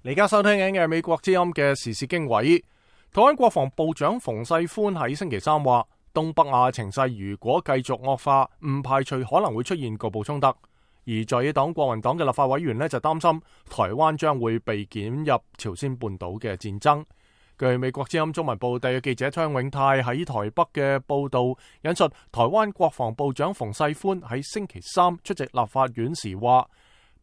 你而家收聽緊嘅美國之音嘅時事經緯，台灣國防部長馮世寬喺星期三話，東北亞情勢如果繼續惡化，唔排除可能會出現局部衝突。而在野黨國民黨嘅立法委員呢，就擔心台灣將會被捲入朝鮮半島嘅戰爭。據美國之音中文部特約記者張永泰喺台北嘅報道，引述台灣國防部長馮世寬喺星期三出席立法院時話，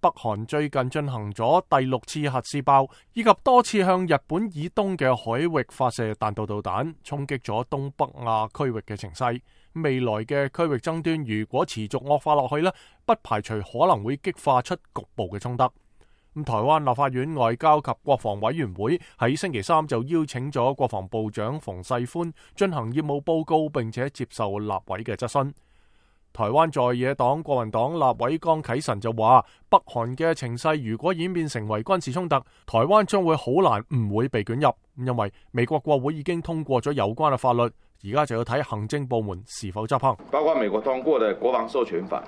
北韓最近進行咗第6次核試爆，以及多次向日本以東嘅海域發射彈道導彈，衝擊咗東北亞區域嘅情勢。未來嘅區域爭端如果持續惡化落去呢，不排除可能會激化出局部嘅衝突。台灣立法院外交及國防委員會喺星期三就邀請咗國防部長馮世寬進行業務報告，並且接受立委嘅質詢。台灣在野黨國民黨立委江啟臣就話，北韓嘅情勢如果演變成為軍事衝突，台灣將會好難唔會被捲入，因為美國國會已經通過咗有關嘅法律，而家就要睇行政部門是否執行。包括美國通過的國防授權法，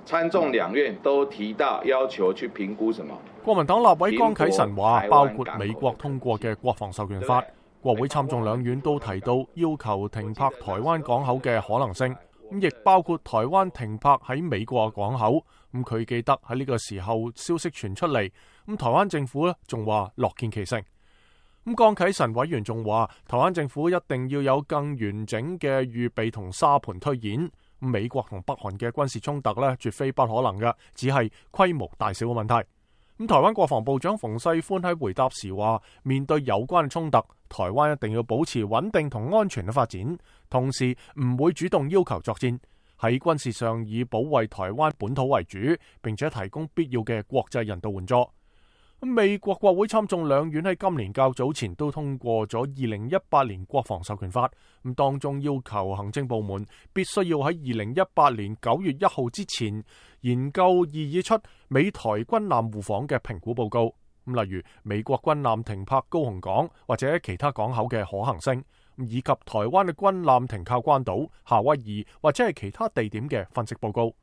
參眾兩院都提到要求去評估什麼。國民黨立委江啟臣話，包括美國通過嘅國防授權法，國會參眾兩院都提到要求停泊台灣港口嘅可能性。咁亦包括台灣停泊喺美國嘅港口。咁佢記得喺呢個時候消息傳出嚟，咁台灣政府咧仲話樂見其成。咁江啟臣委員仲話，台灣政府一定要有更完整嘅預備同沙盤推演。美國同北韓嘅軍事衝突咧絕非不可能嘅，只係規模大小嘅問題。咁台灣國防部長馮世寬喺回答時話，面對有關嘅衝突，台灣一定要保持穩定同安全嘅發展，同時唔會主動要求作戰，喺軍事上以保衛台灣本土為主，並且提供必要嘅國際人道援助。美國國會參眾兩院喺今年較早前都通過咗2018年國防授權法，咁當中要求行政部門必須要喺2018年9月1號之前研究擬議出美台軍艦互訪嘅評估報告，例如美國軍艦停泊高雄港或者其他港口嘅可行性，以及台灣嘅軍艦停靠關島、夏威夷或者係其他地點嘅分析報告。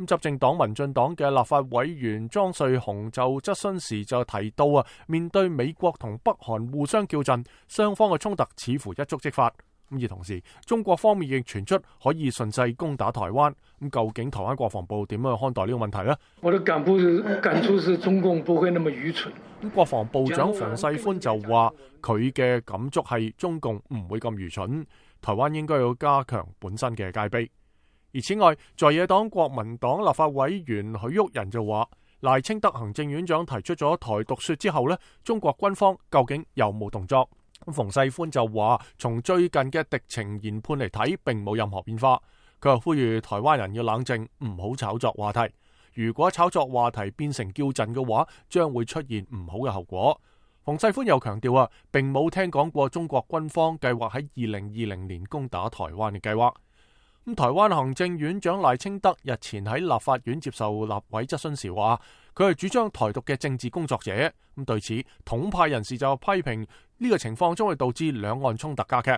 執政黨民進黨嘅立法委員莊瑞雄就質詢時就提到面對美國同北韓互相叫陣，雙方嘅衝突似乎一觸即發。而同時，中國方面亦傳出可以順勢攻打台灣。究竟台灣國防部點樣看待呢個問題呢？我的感觸是中共不會那麼愚蠢。國防部長馮世寬就話，佢嘅感觸係中共唔會咁愚蠢，台灣應該要加強本身嘅戒備。而此外，在野黨國民黨立法委員許旭仁就話，賴清德行政院長提出咗台獨說之後呢，中國軍方究竟有冇動作？馮世寬就話，從最近嘅敵情研判嚟睇，並冇任何變化。佢又呼籲台灣人要冷靜，唔好炒作話題。如果炒作話題變成叫陣嘅話，將會出現唔好嘅後果。馮世寬又強調並冇聽講過中國軍方計劃喺2020年攻打台灣嘅計劃。台灣行政院長賴清德日前喺立法院接受立委質詢時話，佢係主張台獨嘅政治工作者。咁對此，統派人士就批評呢個情況將會導致兩岸衝突加劇。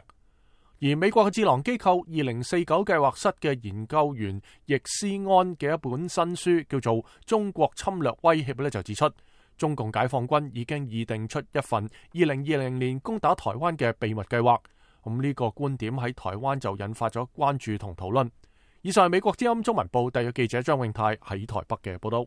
而美國嘅智囊機構2049計劃室嘅研究員易思安嘅一本新書叫做《中國侵略威脅》就指出，中共解放軍已經擬定出一份2020年攻打台灣嘅秘密計劃。呢個觀點喺台灣就引發咗關注同討論。以上係美國之音中文部特約記者張永泰喺台北嘅報道。